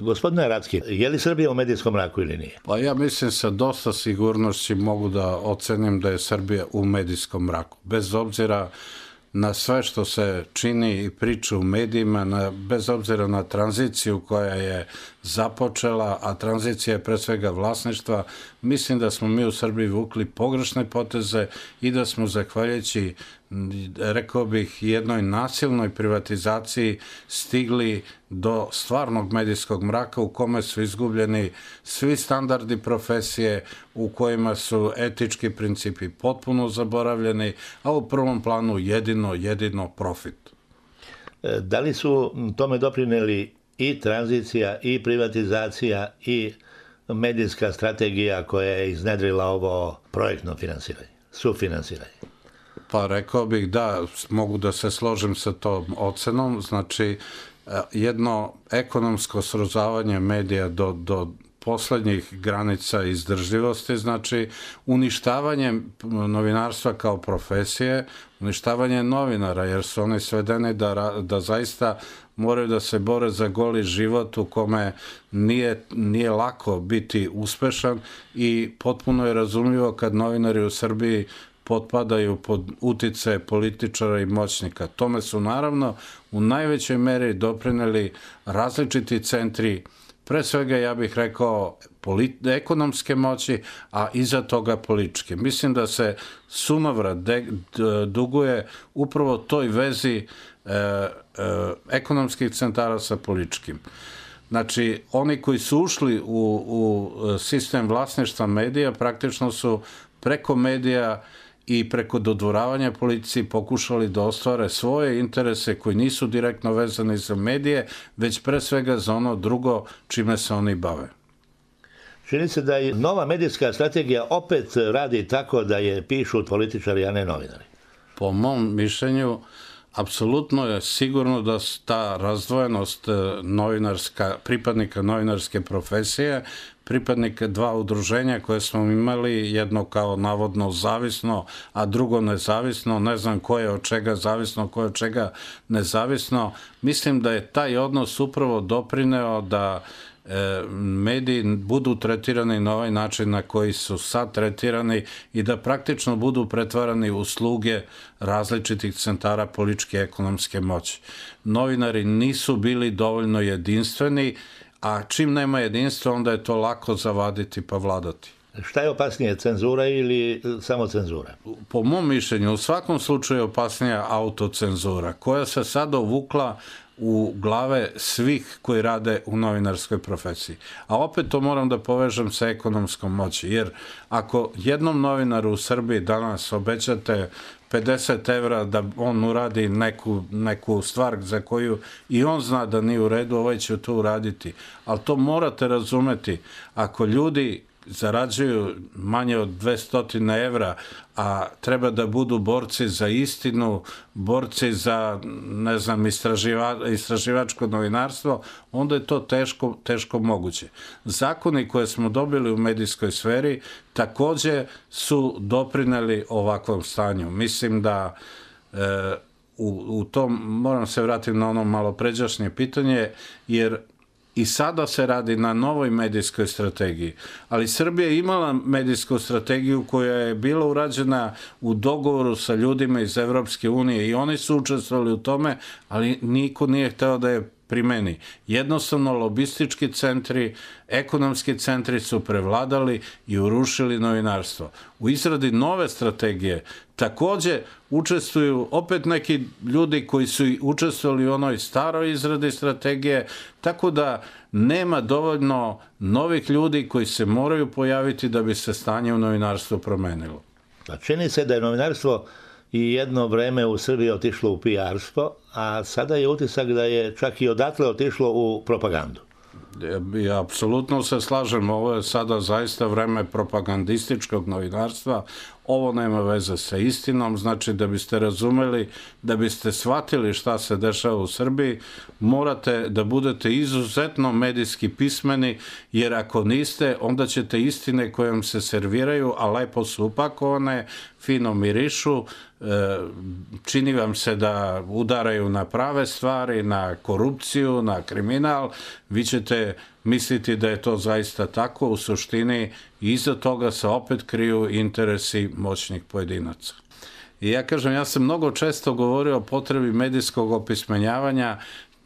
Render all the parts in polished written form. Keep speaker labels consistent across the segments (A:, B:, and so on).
A: Gospodine Racki, je li Srbija u medijskom mraku ili nije?
B: Pa ja mislim sa dosta sigurnosti mogu da ocenim da je Srbija u medijskom mraku. Bez obzira na sve što se čini i priča u medijima, bez obzira na tranziciju koja je započela, a tranzicija je pre svega vlasništva, mislim da smo mi u Srbiji vukli pogrešne poteze i da smo zahvaljujući, rekao bih, jednoj nasilnoj privatizaciji stigli do stvarnog medijskog mraka u kome su izgubljeni svi standardi profesije, u kojima su etički principi potpuno zaboravljeni, a u prvom planu jedino profit.
A: Da li su tome doprineli i tranzicija, i privatizacija, i medijska strategija koja je iznedrila ovo projektno finansiranje, sufinansiranje?
B: Pa rekao bih da mogu da se složim sa tom ocenom, znači jedno ekonomsko srozavanje medija do poslednjih granica izdržljivosti, znači uništavanje novinarstva kao profesije, uništavanje novinara, jer su oni svedeni da zaista moraju da se bore za goli život u kome nije lako biti uspešan i potpuno je razumljivo kad novinari u Srbiji potpadaju pod uticaje političara i moćnika. Tome su naravno u najvećoj meri doprineli različiti centri, pre svega ja bih rekao ekonomske moći, a iza toga političke. Mislim da se sunovrat duguje upravo toj vezi ekonomskih centara sa političkim. Znači, oni koji su ušli u sistem vlasništva medija praktično su preko medija i preko dodvoravanja policiji pokušali da ostvare svoje interese koji nisu direktno vezani za medije, već pre svega za ono drugo čime se oni bave.
A: Čini se da je nova medijska strategija opet radi tako da je pišu političari, a ne novinari.
B: Po mom mišljenju, apsolutno je sigurno da ta razdvojenost pripadnika novinarske profesije, pripadnika dva udruženja koje smo imali, jedno kao navodno zavisno, a drugo nezavisno, ne znam ko je od čega zavisno, ko je od čega nezavisno. Mislim da je taj odnos upravo doprineo da mediji budu tretirani na ovaj način na koji su sad tretirani i da praktično budu pretvarani u sluge različitih centara političke i ekonomske moći. Novinari nisu bili dovoljno jedinstveni, a čim nema jedinstva, onda je to lako zavaditi pa vladati.
A: Šta je opasnije, cenzura ili samo cenzura?
B: Po mom mišljenju, u svakom slučaju je opasnija autocenzura, koja se sada uvukla u glave svih koji rade u novinarskoj profesiji. A opet to moram da povežem sa ekonomskom moći, jer ako jednom novinaru u Srbiji danas obećate 50 evra da on uradi neku stvar za koju i on zna da nije u redu, ovaj će to uraditi. Ali to morate razumeti. Ako ljudi zarađuju manje od 200 evra, a treba da budu borci za istinu, borci za, ne znam, istraživačko novinarstvo, onda je to teško moguće. Zakoni koje smo dobili u medijskoj sferi takođe su doprineli ovakvom stanju. Mislim da u tom, moram se vratiti na ono malo pređašnje pitanje, jer i sada se radi na novoj medijskoj strategiji, ali Srbija je imala medijsku strategiju koja je bila urađena u dogovoru sa ljudima iz Evropske unije i oni su učestvovali u tome, ali niko nije hteo da je primeni. Jednostavno, lobistički centri, ekonomski centri su prevladali i urušili novinarstvo. U izradi nove strategije takođe učestvuju opet neki ljudi koji su učestvovali u onoj staroj izradi strategije, tako da nema dovoljno novih ljudi koji se moraju pojaviti da bi se stanje u novinarstvu promenilo.
A: Čini se da je novinarstvo i jedno vreme u Srbiji otišlo u PR-stvo, a sada je utisak da je čak i odatle otišlo u propagandu.
B: Ja apsolutno se slažem, ovo je sada zaista vreme propagandističkog novinarstva, ovo nema veze sa istinom, znači da biste razumeli, da biste shvatili šta se dešava u Srbiji, morate da budete izuzetno medijski pismeni, jer ako niste, onda ćete istine koje vam se serviraju, a lepo su upakovane, fino mirišu, čini vam se da udaraju na prave stvari, na korupciju, na kriminal, vi ćete nemojte misliti da je to zaista tako, u suštini iza toga se opet kriju interesi moćnih pojedinaca. I ja kažem, ja sam mnogo često govorio o potrebi medijskog opismenjavanja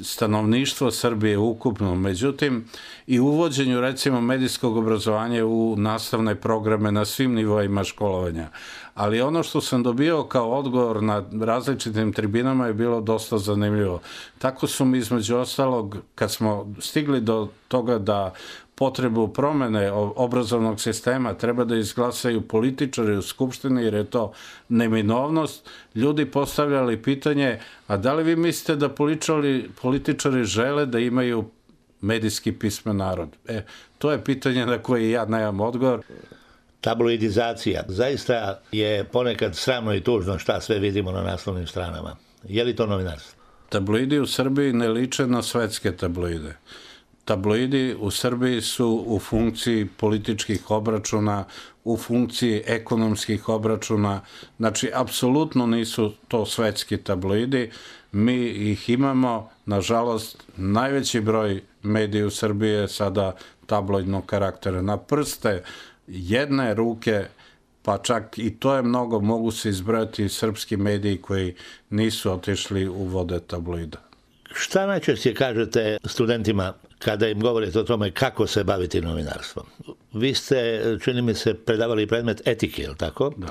B: stanovništvo Srbije ukupno, međutim i uvođenju recimo medijskog obrazovanja u nastavne programe na svim nivoima školovanja. Ali ono što sam dobio kao odgovor na različitim tribinama je bilo dosta zanimljivo. Tako su mi između ostalog, kad smo stigli do toga da potrebu promene obrazovnog sistema treba da izglasaju političari u Skupštini, jer je to neminovnost, ljudi postavljali pitanje, a da li vi mislite da političari žele da imaju medijski pismen narod? To je pitanje na koje ja nemam odgovor.
A: Tabloidizacija. Zaista je ponekad sramno i tužno šta sve vidimo na naslovnim stranama. Je li to novinarstvo?
B: Tabloidi u Srbiji ne liče na svetske tabloide. Tabloidi u Srbiji su u funkciji političkih obračuna, u funkciji ekonomskih obračuna. Znači, apsolutno nisu to svetski tabloidi. Mi ih imamo, nažalost, najveći broj medija u Srbiji je sada tabloidnog karaktera. Na prste jedne ruke, pa čak i to je mnogo, mogu se izbrojati srpski mediji koji nisu otišli u vode tabloida.
A: Šta najčešće kažete studentima kada im govorite o tome kako se baviti novinarstvom? Vi ste, čini mi se, predavali predmet etike, je li tako?
B: Da.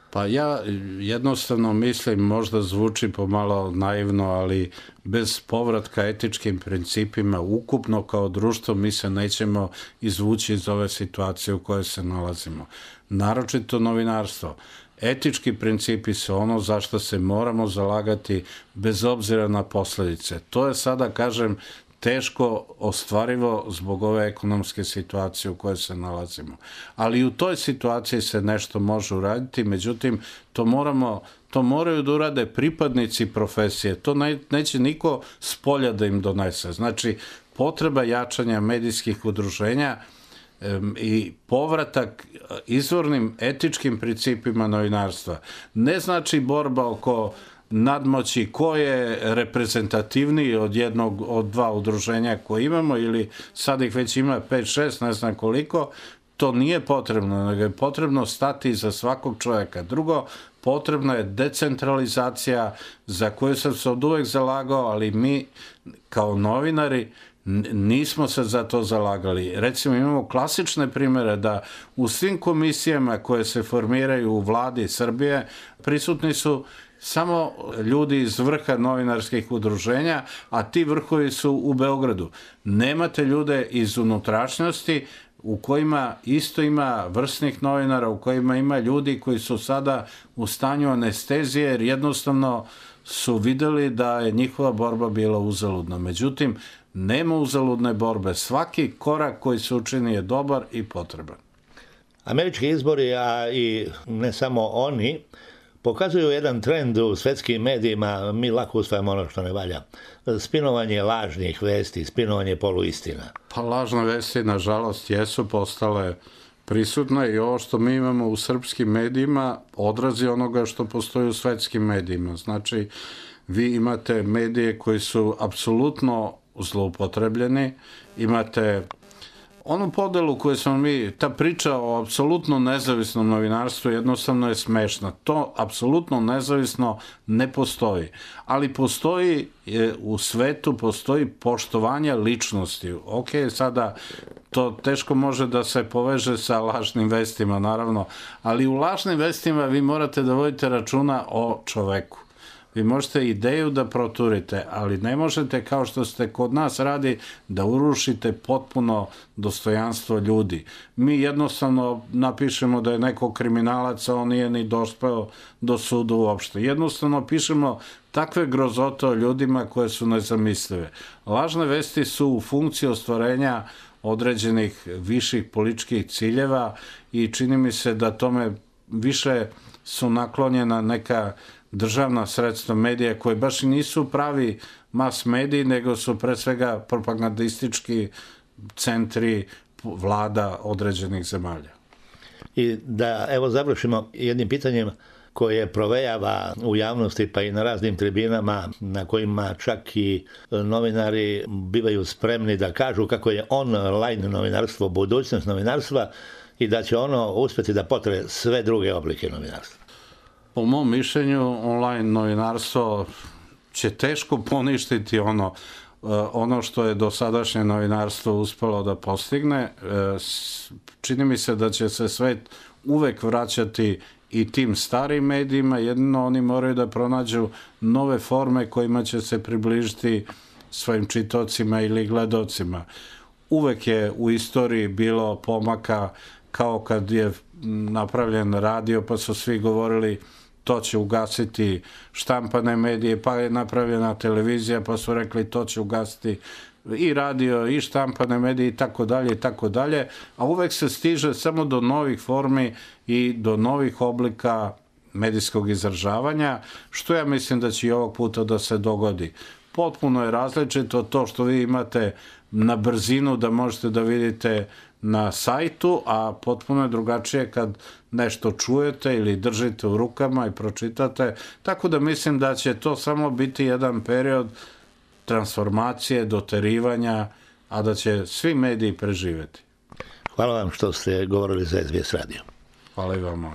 B: Pa ja jednostavno mislim, možda zvuči pomalo naivno, ali bez povratka etičkim principima ukupno kao društvo mi se nećemo izvući iz ove situacije u kojoj se nalazimo. Naročito novinarstvo. Etički principi su ono za što se moramo zalagati bez obzira na posljedice. To je sada, kažem, teško ostvarivo zbog ove ekonomske situacije u kojoj se nalazimo. Ali u toj situaciji se nešto može uraditi, međutim, to moraju da urade pripadnici profesije. To neće niko s polja da im donese. Znači, potreba jačanja medijskih udruženja i povratak izvornim etičkim principima novinarstva. Ne znači borba oko nadmoći ko je reprezentativniji od dva udruženja koje imamo, ili sad ih već ima 5-6, ne znam koliko. To nije potrebno, nego je potrebno stati iza svakog čovjeka. Drugo, potrebna je decentralizacija za koju sam se od uvek zalagao, ali mi kao novinari nismo se za to zalagali. Recimo, imamo klasične primjere da u svim komisijama koje se formiraju u vladi Srbije prisutni su samo ljudi iz vrha novinarskih udruženja, a ti vrhovi su u Beogradu. Nemate ljude iz unutrašnjosti u kojima isto ima vrsnih novinara, u kojima ima ljudi koji su sada u stanju anestezije, jer jednostavno su videli da je njihova borba bila uzaludna. Međutim, nema uzaludne borbe. Svaki korak koji se učini je dobar i potreban.
A: Američki izbori, a i ne samo oni, pokazuju jedan trend u svetskim medijima, mi lako usvajamo ono što ne valja. Spinovanje lažnih vesti, spinovanje poluistina.
B: Pa lažne vesti, nažalost, jesu postale prisutne i ovo što mi imamo u srpskim medijima odrazi onoga što postoji u svetskim medijima. Znači, vi imate medije koji su apsolutno zloupotrebljeni, imate onu podelu koju smo mi, ta priča o apsolutno nezavisnom novinarstvu jednostavno je smešna. To apsolutno nezavisno ne postoji. Ali postoji u svetu, postoji poštovanje ličnosti. Ok, sada to teško može da se poveže sa lažnim vestima, naravno, ali u lažnim vestima vi morate da vodite računa o čoveku. Vi možete ideju da proturite, ali ne možete, kao što ste kod nas radi, da urušite potpuno dostojanstvo ljudi. Mi jednostavno napišemo da je neko kriminalac, a on nije ni dospeo do suda uopšte. Jednostavno pišemo takve grozote o ljudima koje su nezamislive. Lažne vesti su u funkciji ostvarenja određenih viših političkih ciljeva i čini mi se da tome više su naklonjena neka državna sredstva medija koje baš i nisu pravi mas mediji, nego su pre svega propagandistički centri vlada određenih zemalja.
A: I da, evo, završimo jednim pitanjem. koje provejava u javnosti pa i na raznim tribinama na kojima čak i novinari bivaju spremni da kažu kako je online novinarstvo budućnost novinarstva i da će ono uspjeti da potre sve druge oblike novinarstva.
B: Po mom mišljenju, online novinarstvo će teško poništiti ono što je dosadašnje novinarstvo uspelo da postigne. Čini mi se da će se svet uvek vraćati i tim starim medijima, jedino oni moraju da pronađu nove forme kojima će se približiti svojim čitaocima ili gledocima. Uvek je u istoriji bilo pomaka, kao kad je napravljen radio pa su svi govorili to će ugasiti štampane medije, pa je napravljena televizija pa su rekli to će ugasiti i radio i štampane medije i tako dalje, a uvek se stiže samo do novih formi i do novih oblika medijskog izražavanja, što ja mislim da će i ovog puta da se dogodi. Potpuno je različito to što vi imate na brzinu da možete da vidite na sajtu, a potpuno je drugačije kad nešto čujete ili držite u rukama i pročitate, tako da mislim da će to samo biti jedan period transformacije, doterivanja, a da će svi mediji preživeti.
A: Hvala vam što ste govorili za SBS radio.
B: Hvala i vama.